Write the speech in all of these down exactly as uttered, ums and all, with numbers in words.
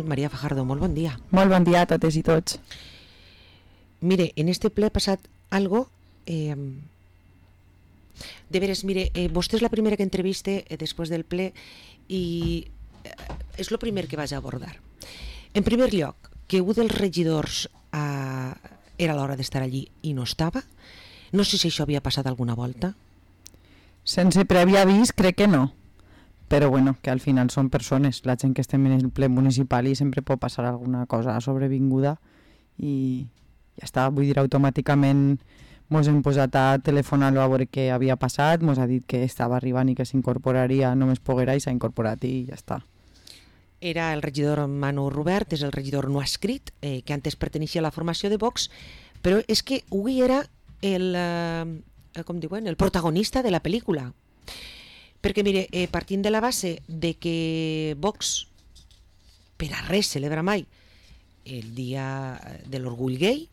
Maria Fajardo, molt bon dia. Molt bon dia a totes i tots. Mire, en este ple ha passat algo... Eh, de veres, mire, eh, vostè és la primera que entreviste eh, després del ple i eh, és el primer que vaig abordar. En primer lloc, que un dels regidors eh, era l'hora d'estar allí i no estava. No sé si això havia passat alguna volta. Sense previ avís, crec que no. Però bueno, que al final són persones, la gent que estem en el ple municipal i sempre pot passar alguna cosa sobrevinguda i ja està, vull dir, automàticament mos hem posat a telefonar-lo a veure què havia passat, mos ha dit que estava arribant i que s'incorporaria, només poguera, i s'ha incorporat i ja està. Era el regidor Manu Rubert, és el regidor no escrit, eh, que antes perteneixia a la formació de Vox, però és que avui era el, eh, com diuen, el protagonista de la pel·lícula. Perquè, mire, eh, partint de la base de que Vox per a res celebra mai el dia de l'orgull gay.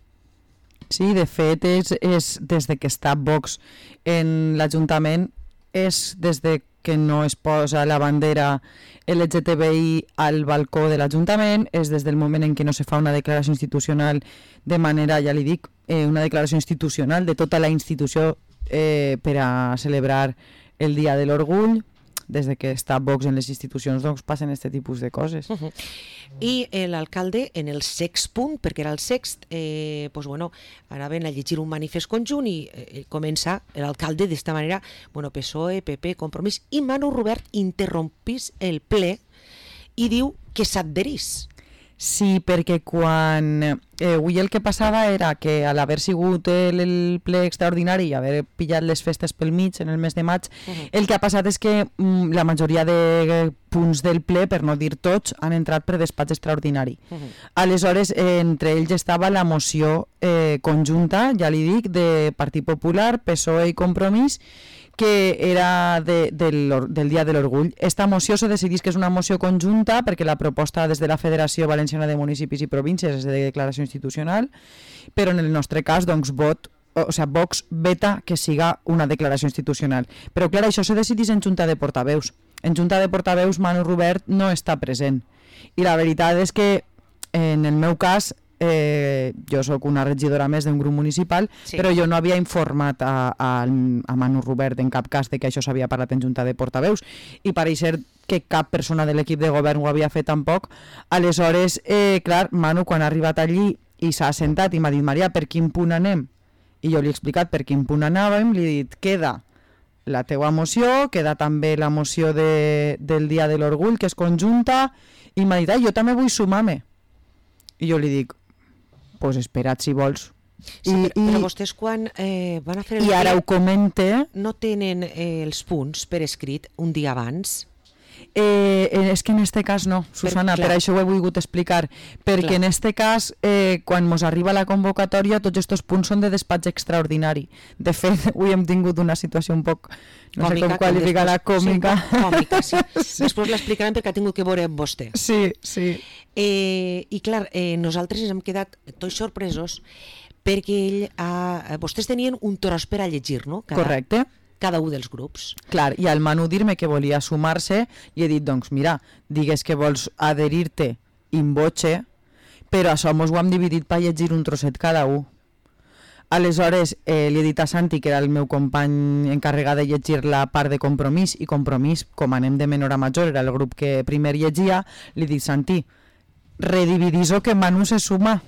Sí, de fet, és, és des de que està Vox en l'Ajuntament, és des de que no es posa la bandera L G T B I al balcó de l'Ajuntament, és des del moment en què no se fa una declaració institucional de manera, ja li dic, eh, una declaració institucional de tota la institució eh, per a celebrar el dia de l'orgull. Des de que està Vox en les institucions, doncs passen aquest tipus de coses. Uh -huh. I eh, l'alcalde, en el sext punt, perquè era el sext, eh, pues bueno, anaven a llegir un manifest conjunt i eh, comença l'alcalde d'esta manera, bueno, P S O E, P P, Compromís, i Manu Rubert interrompís el ple i diu que s'adherís. Sí, perquè quan... Eh, avui el que passava era que a l'haver sigut el, el ple extraordinari i haver pillat les festes pel mig en el mes de maig, uh-huh. el que ha passat és que mm, la majoria de punts del ple, per no dir tots, han entrat per despatx extraordinari. Uh-huh. Aleshores, eh, entre ells estava la moció eh, conjunta, ja li dic, de Partit Popular, P S O E i Compromís, que era de, del, del Dia de l'Orgull. Esta moció se decidís que és una moció conjunta perquè la proposta des de la Federació Valenciana de Municipis i Províncies és de declaració institucional, però en el nostre cas, doncs, vot, o sigui, Vox veta que siga una declaració institucional. Però, clar, això se decidís en Junta de Portaveus. En Junta de Portaveus, Manu Rubert no està present. I la veritat és que, en el meu cas, Eh, jo sóc una regidora més d'un grup municipal, sí. però jo no havia informat a, a, a Manu Rubert en cap cas de que això s'havia parlat en Junta de Portaveus i pareix ser que cap persona de l'equip de govern ho havia fet tampoc. Aleshores, eh, clar, Manu quan ha arribat allí i s'ha assentat i m'ha dit, Maria, per quin punt anem? I jo li he explicat per quin punt anàvem, li he dit, queda la teua moció, queda també la moció de, del Dia de l'Orgull, que és conjunta, i m'ha dit, ah, jo també vull sumar-me. I jo li dic, pues espera't si vols. Sí, I, però, però vostès quan eh, van a fer el I ara ho comente... No tenen eh, els punts per escrit un dia abans? Eh, és que en este cas no, Susana, per, per això ho he volgut explicar, perquè clar. En este cas, eh, quan mos arriba la convocatòria, tots aquests punts són de despatx extraordinari. De fet, avui hem tingut una situació un poc, no còmica, sé com qualificar-la, còmica. Sí, còmica, sí. sí. Després l'explicarem perquè ha tingut que veure amb vostè. Sí, sí. Eh, I clar, eh, nosaltres ens hem quedat tots sorpresos perquè ell ha... vostès tenien un tros per a llegir, no? Cada... Correcte. cada un dels grups. Clar, i al Manu dir-me que volia sumar-se i he dit, doncs mira, digues que vols adherir-te in voce, però això mos ho hem dividit per llegir un trosset cada un. Aleshores, eh, li he dit a Santi, que era el meu company encarregat de llegir la part de Compromís, i Compromís, com anem de menor a major, era el grup que primer llegia, li dic, Santi, redividís-ho que Manu se suma.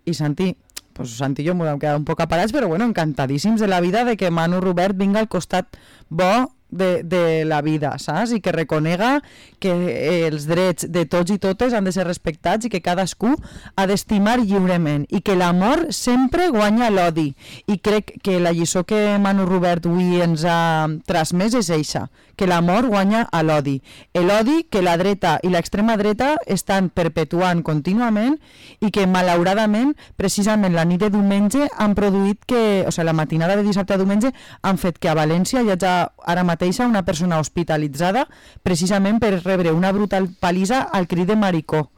I Santi... pues Santi i jo m'ho hem quedat un poc aparats, però bueno, encantadíssims de la vida de que Manu Rubert vinga al costat bo de, de la vida, saps? I que reconega que eh, els drets de tots i totes han de ser respectats i que cadascú ha d'estimar lliurement i que l'amor sempre guanya l'odi. I crec que la lliçó que Manu Rubert avui ens ha transmès és eixa, que l'amor guanya a l'odi. L'odi que la dreta i l'extrema dreta estan perpetuant contínuament i que malauradament precisament la nit de diumenge han produït que, o sigui, la matinada de dissabte a diumenge han fet que a València hi hagi ara mateixa una persona hospitalitzada precisament per rebre una brutal palissa al crit de maricó.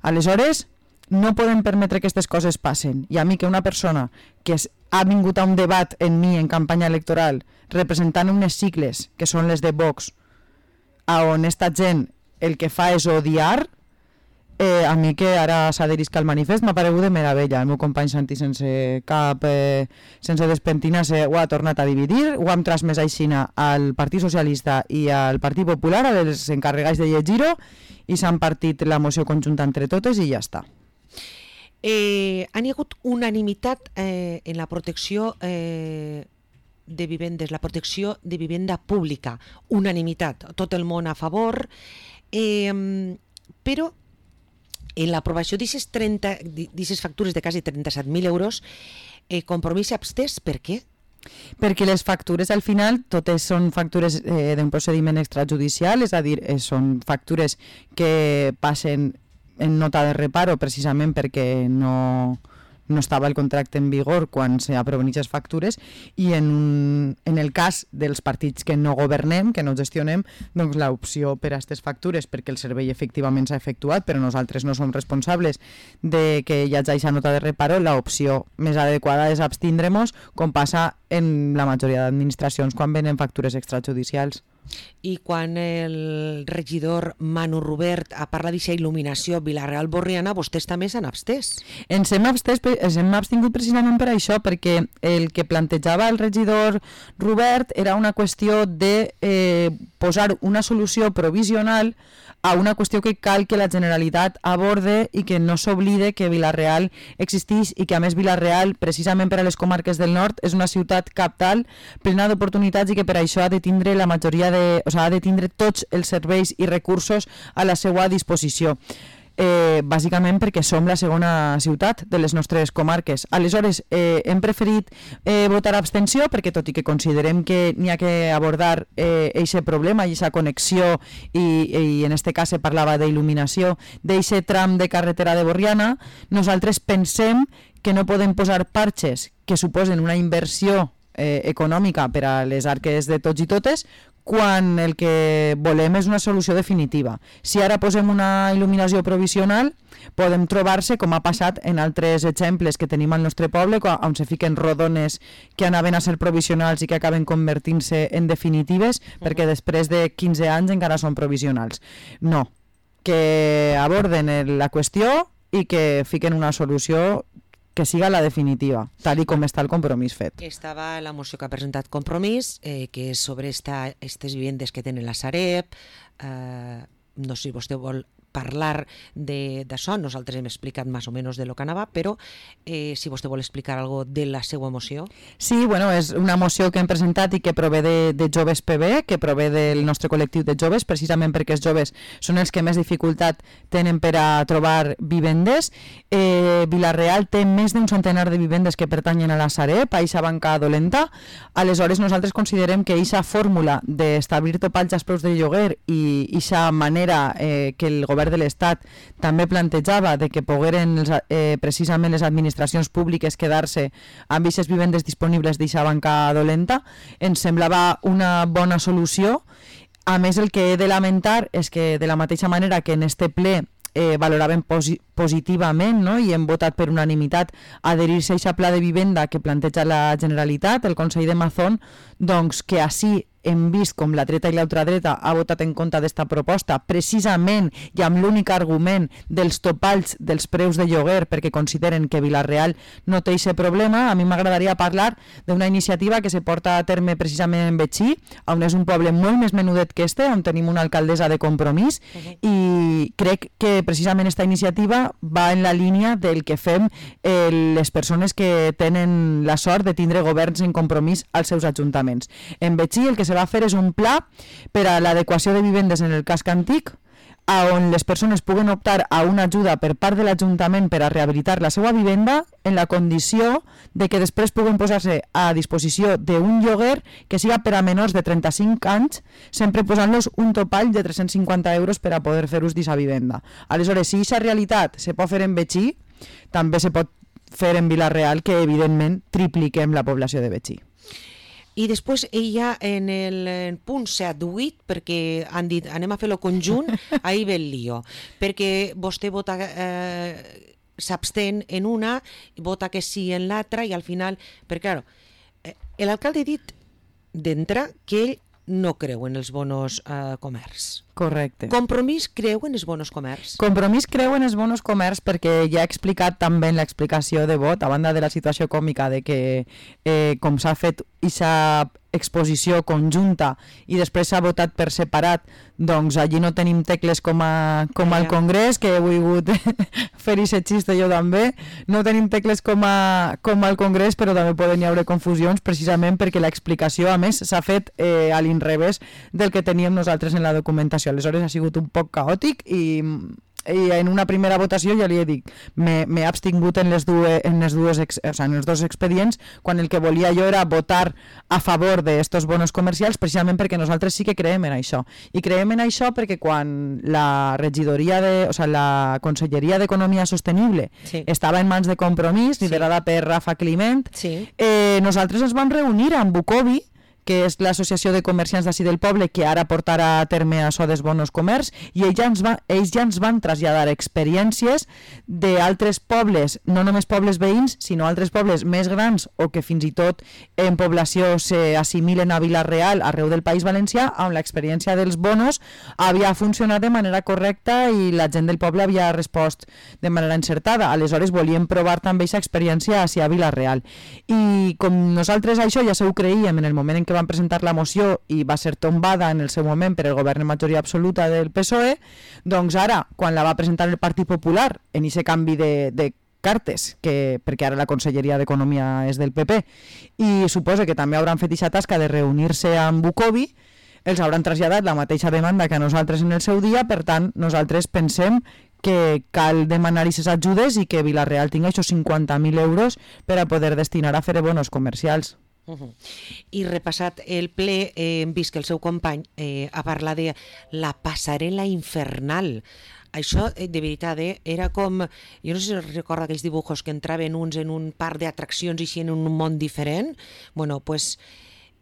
Aleshores, no podem permetre que aquestes coses passen. I a mi que una persona que ha vingut a un debat en mi en campanya electoral representant unes sigles que són les de Vox, on esta gent el que fa és odiar, Eh, a mi que ara s'adherisca al manifest m'ha paregut de meravella. El meu company Santi sense cap eh, sense despentinar-se ho ha tornat a dividir, ho hem transmès aixina al Partit Socialista i al Partit Popular, als encarregats de llegir-ho, i s'han partit la moció conjunta entre totes i ja està. Eh, han hi hagut unanimitat eh, en la protecció eh, de vivendes, la protecció de vivenda pública, unanimitat, tot el món a favor, eh, però en l'aprovació d'aquestes factures de quasi trenta-set mil euros, eh, Compromís s'abstès, per què? Perquè les factures al final totes són factures eh, d'un procediment extrajudicial, és a dir, eh, són factures que passen en nota de reparo precisament perquè no, no estava el contracte en vigor quan s'aproven aquestes factures, i en, un, en el cas dels partits que no governem, que no gestionem, doncs l'opció per a aquestes factures, perquè el servei efectivament s'ha efectuat però nosaltres no som responsables de que hi hagi aquesta nota de reparo, l'opció més adequada és abstindre-nos, com passa en la majoria d'administracions quan venen factures extrajudicials. I quan el regidor Manu Rubert ha parlat d'aquesta il·luminació Vila-real-Borriana, vostès també s'han abstès. Ens hem abstès, ens hem abstingut precisament per això, perquè el que plantejava el regidor Rubert era una qüestió de eh, posar una solució provisional a una qüestió que cal que la Generalitat aborde i que no s'oblide que Vila-real existeix i que a més Vila-real, precisament per a les comarques del nord, és una ciutat cabdal, plena d'oportunitats, i que per això ha de tindre la majoria de, o sigui, ha de tindre tots els serveis i recursos a la seva disposició. Eh, bàsicament perquè som la segona ciutat de les nostres comarques. Aleshores, eh, hem preferit eh, votar abstenció perquè, tot i que considerem que n'hi ha que abordar aquest eh, problema i aquesta connexió, i, i en este cas se parlava d'il·luminació d'aquest tram de carretera de Borriana, nosaltres pensem que no podem posar parxes que suposen una inversió eh, econòmica per a les arques de tots i totes, quan el que volem és una solució definitiva. Si ara posem una il·luminació provisional, podem trobar-se, com ha passat en altres exemples que tenim al nostre poble, on se fiquen rodones que anaven a ser provisionals i que acaben convertint-se en definitives, uh-huh. perquè després de quinze anys encara són provisionals. No, que aborden la qüestió i que fiquen una solució que siga la definitiva, tal i com està el compromís fet. Estava la moció que ha presentat Compromís, eh, que és sobre aquestes vivendes que tenen la Sareb. Eh, no sé si vostè vol parlar d'això, nosaltres hem explicat més o menys de lo que anava, però eh, si vostè vol explicar alguna cosa de la seva moció. Sí, bueno, és una moció que hem presentat i que prové de, de Joves P B, que prové del nostre col·lectiu de joves, precisament perquè els joves són els que més dificultat tenen per a trobar vivendes. Eh, Vila-real té més d'un centenar de vivendes que pertanyen a la Sareb, a aquesta banca dolenta. Aleshores, nosaltres considerem que aquesta fórmula d'establir topalls als preus de lloguer i aquesta manera eh, que el govern de l'Estat també plantejava de que pogueren eh, precisament les administracions públiques quedar-se amb aquestes vivendes disponibles d'aquesta banca dolenta, ens semblava una bona solució. A més, el que he de lamentar és que, de la mateixa manera que en este ple eh, valoraven posi positivament, no? I hem votat per unanimitat adherir-se a aquest pla de vivenda que planteja la Generalitat, el Consell de Mazón, doncs que així hem vist com la dreta i l'ultradreta ha votat en contra d'esta proposta precisament i amb l'únic argument dels topalls dels preus de lloguer, perquè consideren que Vila-real no té aquest problema. A mi m'agradaria parlar d'una iniciativa que se porta a terme precisament en Betxí, on és un poble molt més menudet que este, on tenim una alcaldessa de Compromís, uh-huh. i crec que precisament esta iniciativa va en la línia del que fem eh, les persones que tenen la sort de tindre governs en Compromís als seus ajuntaments. En Betxí el que se va fer és un pla per a l'adequació de vivendes en el casc antic, on les persones puguen optar a una ajuda per part de l'Ajuntament per a rehabilitar la seva vivenda, en la condició de que després puguen posar-se a disposició d'un lloguer que siga per a menors de trenta-cinc anys, sempre posant-los un topall de tres-cents cinquanta euros per a poder fer ús d'aquesta vivenda. Aleshores, si aquesta realitat se pot fer en Betxí, també se pot fer en Vila-real, que evidentment tripliquem la població de Betxí. I després ella en el punt set vuit, perquè han dit anem a fer-lo conjunt, ahí ve el lío, perquè vostè vota, eh, s'abstén en una, vota que sí en l'altra, i al final, perquè clar, eh, l'alcalde ha dit d'entre que ell no creu en els bonos eh, comerç. Correcte. Compromís creu en els bonos comerç. Compromís creu en els bonos comerç perquè ja he explicat també en l'explicació de vot, a banda de la situació còmica de que eh, com s'ha fet aquesta exposició conjunta i després s'ha votat per separat, doncs allí no tenim tecles com, a, com al Congrés, que he volgut fer-hi aquest xiste jo també, no tenim tecles com, a, com al Congrés, però també poden hi haure confusions precisament perquè l'explicació a més s'ha fet eh, a l'inrevés del que teníem nosaltres en la documentació. Aleshores ha sigut un poc caòtic i, i en una primera votació ja li he dit m'he abstingut en les, dues, en, les dues ex, o sea, en els dos expedients quan el que volia jo era votar a favor d'estos bonos comercials precisament perquè nosaltres sí que creem en això i creem en això perquè quan la regidoria de, o sea, la Conselleria d'Economia Sostenible sí. estava en mans de Compromís, liderada sí. per Rafa Climent, sí. eh, nosaltres ens vam reunir amb Bucovi, que és l'associació de comerciants d'ací del poble que ara portarà a terme això dels bonos comerç i ells ja ens, va, ells ja ens van traslladar experiències d'altres pobles, no només pobles veïns sinó altres pobles més grans o que fins i tot en població s'assimilen a Vila-real arreu del País Valencià on l'experiència dels bonos havia funcionat de manera correcta i la gent del poble havia respost de manera encertada, aleshores volíem provar també aquesta experiència a Vila-real i com nosaltres això ja se ho creíem en el moment en què van presentar la moció i va ser tombada en el seu moment per el govern en majoria absoluta del P S O E, doncs ara, quan la va presentar el Partit Popular en aquest canvi de, de cartes, que, perquè ara la Conselleria d'Economia és del P P, i suposa que també hauran fet aquesta tasca de reunir-se amb Bucovi, els hauran traslladat la mateixa demanda que a nosaltres en el seu dia, per tant, nosaltres pensem que cal demanar aquestes ajudes i que Vila-real tingui aquests cinquanta mil euros per a poder destinar a fer bonos comercials. Uh -huh. I repassat el ple, eh, hem vist que el seu company eh, ha parlat de la passarel·la infernal. Això, eh, de veritat, eh, era com... Jo no sé si recorda aquells dibujos que entraven uns en un parc d'atraccions i així en un món diferent. Bueno, pues,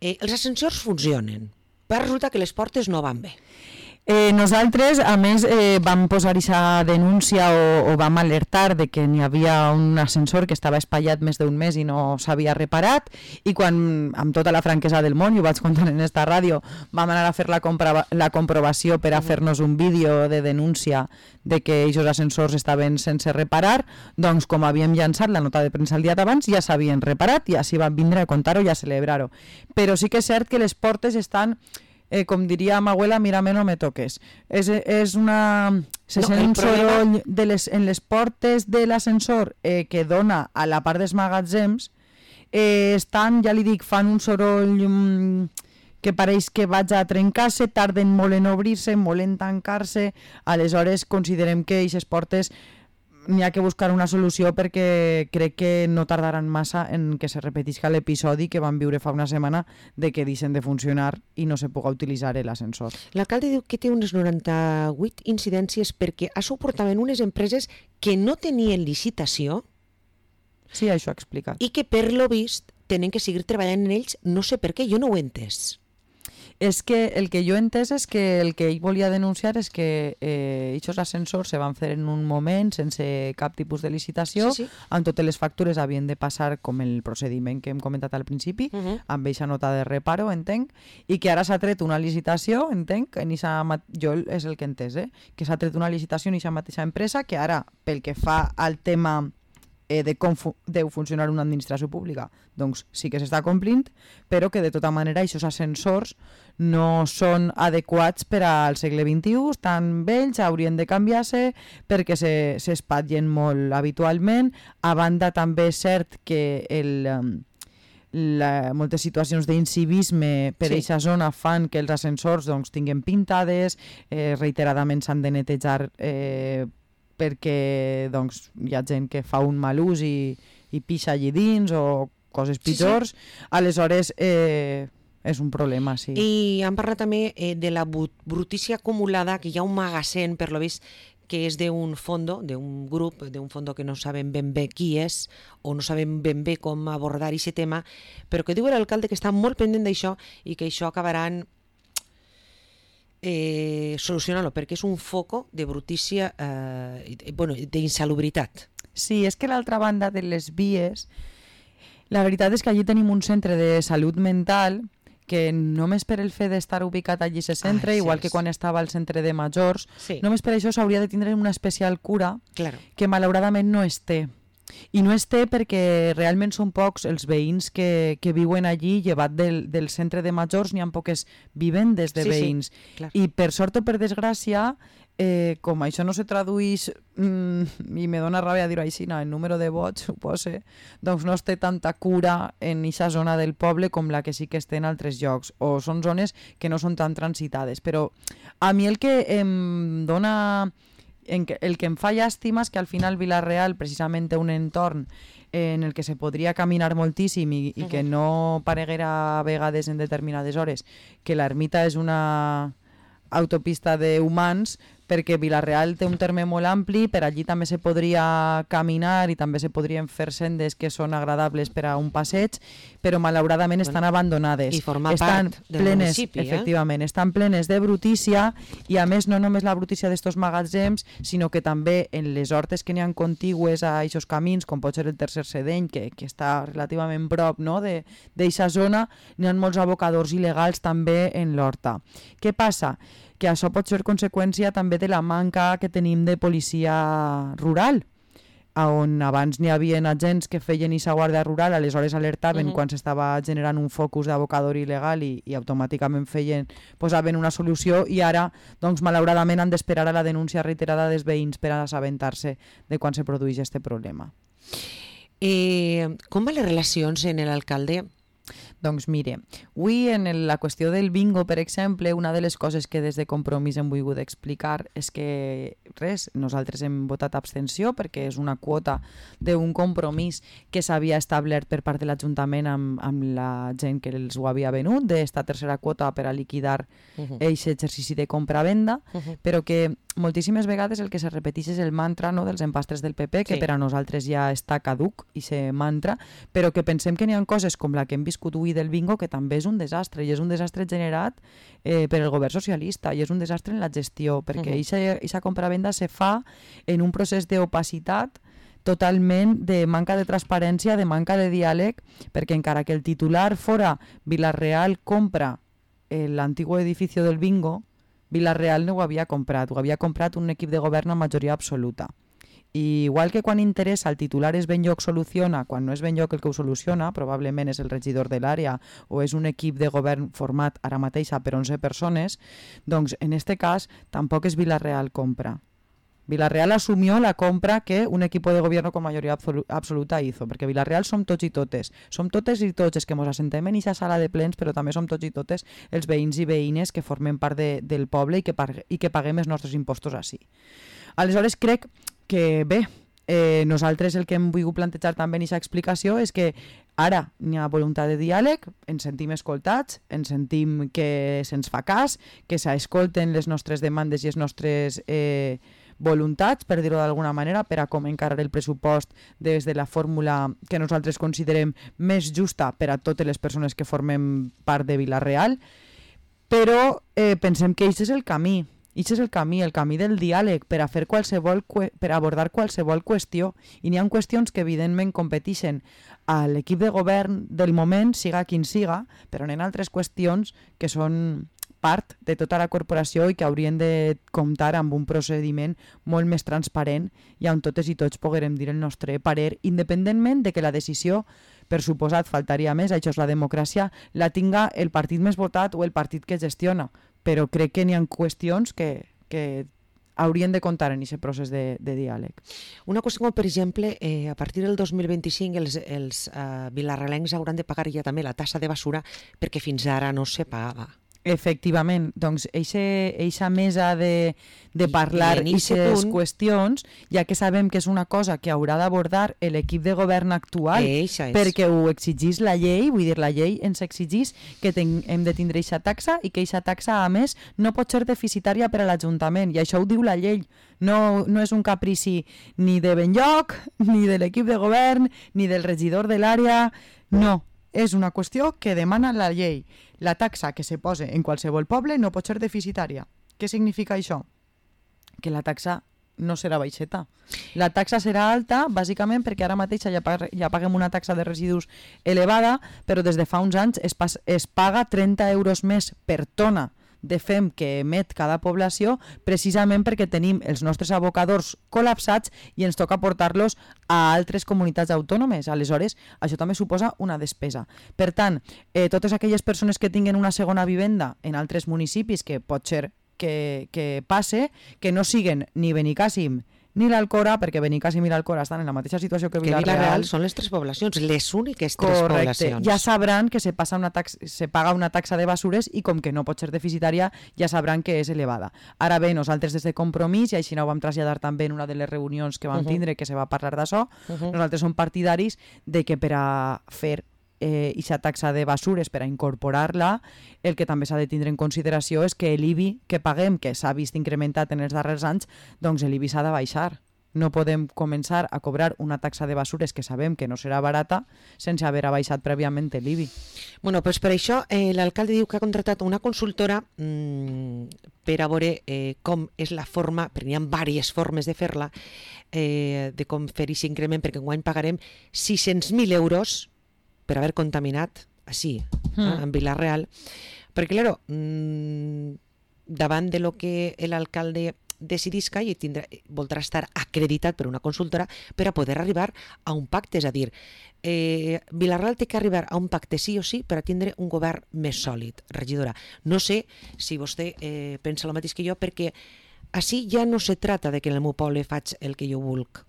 eh, els ascensors funcionen, però resulta que les portes no van bé. Eh, nosaltres, a més, eh, vam posar aquesta denúncia o, o vam alertar de que n'hi havia un ascensor que estava espatllat més d'un mes i no s'havia reparat i quan, amb tota la franquesa del món, i ho vaig contar en esta ràdio, vam anar a fer la, compra, la comprovació per a fer-nos un vídeo de denúncia de que aquests ascensors estaven sense reparar, doncs com havíem llançat la nota de premsa el dia d'abans, ja s'havien reparat i així van vindre a contar-ho i a celebrar-ho. Però sí que és cert que les portes estan... Eh, com diria ma abuela, mírame, no me toques. És, és una... Se no, sent un problema... soroll de les, en les portes de l'ascensor eh, que dona a la part dels magatzems, eh, estan, ja li dic, fan un soroll mm, que pareix que vaig a trencar-se, tarden molt en obrir-se, molt en tancar-se, aleshores considerem que aquestes portes n'hi ha que buscar una solució perquè crec que no tardaran massa en que se repetisca l'episodi que vam viure fa una setmana de que deixen de funcionar i no se puga utilitzar l'ascensor. L'alcalde diu que té unes noranta-vuit incidències perquè ha suportat en unes empreses que no tenien licitació. Sí, això ha explicat. I que per lo vist tenen que seguir treballant en ells, no sé per què, jo no ho he entès. És que el que jo he entès és que el que ell volia denunciar és que eh, aquests ascensors se van fer en un moment sense cap tipus de licitació, sí, sí. amb totes les factures havien de passar com el procediment que hem comentat al principi, uh -huh. amb aquesta nota de reparo, entenc, i que ara s'ha tret una licitació, entenc, en ixa, jo és el que he entès, eh? que s'ha tret una licitació en aquesta mateixa empresa, que ara, pel que fa al tema de com fu deu funcionar una administració pública, doncs sí que s'està complint, però que de tota manera aquests ascensors no són adequats per al segle vint-i-u, estan vells, haurien de canviar-se perquè s'espatllen molt habitualment. A banda també és cert que el... La, moltes situacions d'incivisme per aquesta sí. zona fan que els ascensors doncs, tinguin pintades, eh, reiteradament s'han de netejar eh, perquè doncs, hi ha gent que fa un mal ús i, i pixa allí dins o coses pitjors, sí, sí. aleshores eh, és un problema, sí. I han parlat també eh, de la brutícia acumulada, que hi ha un magatzem, per lo vist, que és d'un fondo, d'un grup, d'un fondo que no sabem ben bé qui és o no sabem ben bé com abordar aquest tema, però que diu l'alcalde que està molt pendent d'això i que això acabaran Eh, solucionar-lo, perquè és un foco de brutícia, eh, bueno, d'insalubritat. Sí, és que l'altra banda de les vies, la veritat és que allí tenim un centre de salut mental que només per el fet d'estar ubicat allí a centre, ah, igual sí, que quan estava al centre de majors, sí. només per això s'hauria de tindre una especial cura claro. que malauradament no es té. I no es té perquè realment són pocs els veïns que, que viuen allí, llevat del, del centre de majors, n'hi ha poques vivendes de sí, veïns. Sí, clar. I per sort o per desgràcia, eh, com això no se tradueix, mm, i me dóna ràbia dir-ho així, no, el número de vots, suposo, doncs no es té tanta cura en aquesta zona del poble com la que sí que es té en altres llocs, o són zones que no són tan transitades. Però a mi el que em dona... En que, el que em fa llàstima és que al final Vila-real precisament té un entorn en el que se podria caminar moltíssim i, i que no pareguera a vegades en determinades hores que l'ermita és una autopista d'humans, perquè Vila-real té un terme molt ampli, per allí també se podria caminar i també se podrien fer sendes que són agradables per a un passeig, però malauradament bueno, estan abandonades. I formar estan part del plenes, municipi. Eh? Efectivament, estan plenes de brutícia i a més no només la brutícia d'estos magatzems, sinó que també en les hortes que n'hi ha contigües a aquests camins, com pot ser el tercer Sedeny, que, que està relativament prop no? d'eixa zona, n'hi ha molts abocadors il·legals també en l'horta. Què passa? Que això pot ser conseqüència també de la manca que tenim de policia rural, on abans n'hi havia agents que feien aquesta guàrdia rural, aleshores alertaven uh-huh. quan s'estava generant un focus d'abocador il·legal i, i automàticament feien, posaven una solució, i ara, doncs, malauradament han d'esperar a la denúncia reiterada dels veïns per a assabentar-se de quan se produeix aquest problema. Eh, com van les relacions en l'alcalde? Doncs mire, avui en la qüestió del bingo, per exemple, una de les coses que des de Compromís hem volgut explicar és que, res, nosaltres hem votat abstenció perquè és una quota d'un compromís que s'havia establert per part de l'Ajuntament amb, amb la gent que els ho havia venut, d'esta tercera quota per a liquidar uh-huh. aquest exercici de compra-venda, uh-huh. però que moltíssimes vegades el que se repeteix és el mantra no, dels empastres del P P, que sí. per a nosaltres ja està caduc, i se mantra, però que pensem que n'hi ha coses com la que hem viscut avui del bingo que també és un desastre, i és un desastre generat eh, per el govern socialista, i és un desastre en la gestió, perquè aquesta uh-huh. compra-venda se fa en un procés d'opacitat totalment de manca de transparència, de manca de diàleg, perquè encara que el titular fora Vila-real compra l'antigo edificio del bingo, Vila-real no ho havia comprat, ho havia comprat un equip de govern amb majoria absoluta. I igual que quan interessa el titular és ben lloc soluciona, quan no és ben lloc el que ho soluciona, probablement és el regidor de l'àrea o és un equip de govern format ara mateix per onze persones, doncs en este cas tampoc és Vila-real compra. Vila-real asumió la compra que un equip de govern con majoria absoluta hizo, perquè Vila-real som tots i totes, som totes i tots els que ens assentem en aquesta sala de plens, però també som tots i totes els veïns i veïnes que formen part de, del poble i que, i que paguem els nostres impostos així. Aleshores crec que bé, eh, nosaltres el que hem volgut plantejar també en aquesta explicació és que ara n'hi ha voluntat de diàleg, ens sentim escoltats, ens sentim que se'ns fa cas, que s'escolten les nostres demandes i les nostres eh, voluntats, per dir-ho d'alguna manera, per a com encarar el pressupost des de la fórmula que nosaltres considerem més justa per a totes les persones que formem part de Vila-real, però eh, pensem que aquest és el camí. Aquest és el camí, el camí del diàleg per a fer qualsevol, per a abordar qualsevol qüestió. I n'hi ha qüestions que evidentment competeixen a l'equip de govern del moment, siga quin siga, però n'hi ha altres qüestions que són part de tota la corporació i que haurien de comptar amb un procediment molt més transparent i on totes i tots poguerem dir el nostre parer, independentment de que la decisió, per suposat, faltaria més, això és la democràcia, la tinga el partit més votat o el partit que gestiona. Però crec que n'hi ha qüestions que, que haurien de comptar en aquest procés de, de diàleg. Una qüestió com, per exemple, eh, a partir del dos mil vint-i-cinc els, els eh, vilarrealencs hauran de pagar ja també la tassa de basura perquè fins ara no se pagava. Efectivament, doncs eixa mesa de, de parlar aquestes qüestions, ja que sabem que és una cosa que haurà d'abordar l'equip de govern actual, perquè ho exigís la llei, vull dir, la llei ens exigís que ten, hem de tindre eixa taxa i que eixa taxa, a més, no pot ser deficitària per a l'Ajuntament, i això ho diu la llei. No, no és un caprici ni de Benlloc, ni de l'equip de govern, ni del regidor de l'àrea, no. És una qüestió que demana la llei. La taxa que se posa en qualsevol poble no pot ser deficitària. Què significa això? Que la taxa no serà baixeta. La taxa serà alta, bàsicament, perquè ara mateix ja, pag ja paguem una taxa de residus elevada, però des de fa uns anys es, es paga trenta euros més per tona de fem que emet cada població, precisament perquè tenim els nostres abocadors col·lapsats i ens toca portar-los a altres comunitats autònomes. Aleshores, això també suposa una despesa. Per tant, eh, totes aquelles persones que tinguen una segona vivenda en altres municipis, que pot ser que, que passe, que no siguen ni Benicàssim ni l'Alcora, perquè Benicàssim i l'Alcora estan en la mateixa situació que Vila-real. Que Vila-real són les tres poblacions, les úniques tres Correcte. poblacions. Ja sabran que se, passa una taxa, se paga una taxa de basures i com que no pot ser deficitària, ja sabran que és elevada. Ara bé, nosaltres des de Compromís, i així no ho vam traslladar també en una de les reunions que vam uh -huh. tindre, que se va parlar d'això, uh -huh. nosaltres som partidaris de que per a fer eh, aquesta taxa de basures, per a incorporar-la, el que també s'ha de tindre en consideració és que l'I B I que paguem, que s'ha vist incrementat en els darrers anys, doncs l'I B I s'ha de baixar. No podem començar a cobrar una taxa de basures que sabem que no serà barata sense haver baixat prèviament l'I B I. Bueno, pues per això eh, l'alcalde diu que ha contractat una consultora mmm, per a veure eh, com és la forma, perquè hi ha diverses formes de fer-la, eh, de com fer aquest increment, perquè enguany pagarem sis-cents mil euros per haver contaminat així, mm. eh, en Vila-real, perquè, claro, mmm, davant de lo que l'alcalde decidisca i tindrà, voldrà estar acreditat per una consultora per a poder arribar a un pacte, és a dir, eh, Vila-real té que arribar a un pacte sí o sí per a tindre un govern més sòlid, regidora. No sé si vostè eh, pensa el mateix que jo, perquè així ja no se trata de que en el meu poble faig el que jo vulc.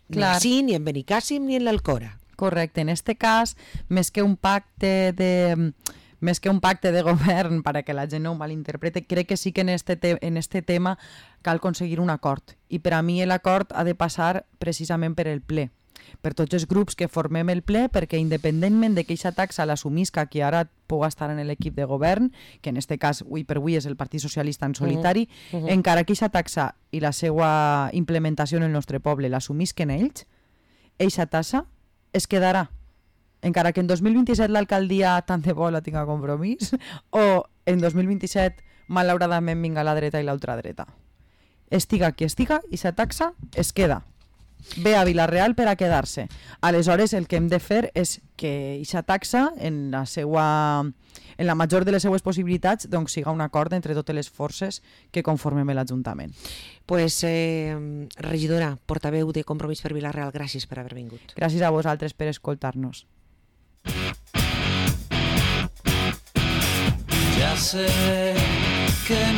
Clar. Ni així, ni en Benicàssim, ni en l'Alcora. Correcte, en este cas, més que un pacte de... més que un pacte de govern, para que la gent no ho malinterprete, crec que sí que en este, te en este tema cal aconseguir un acord. I per a mi l'acord ha de passar precisament per el ple, per tots els grups que formem el ple, perquè independentment de que aquesta taxa l'assumisca qui ara pugui estar en l'equip de govern, que en este cas, avui per avui, és el Partit Socialista en solitari, uh -huh. Uh -huh. encara que aquesta taxa i la seva implementació en el nostre poble l'assumisquen ells, aquesta taxa es quedarà. Encara que en dos mil vint-i-set l'alcaldia tant de bo la tinga Compromís, o en dos mil vint-i-set malauradament vinga la dreta i l'ultradreta. Estiga qui estiga, i sa taxa es queda. Ve a Vila-real per a quedar-se. Aleshores, el que hem de fer és que aquesta taxa, en la seva, en la major de les seues possibilitats, doncs siga un acord entre totes les forces que conformem l'Ajuntament. Pues, eh, regidora, portaveu de Compromís per Vila-real, gràcies per haver vingut. Gràcies a vosaltres per escoltar-nos. Ya sé que no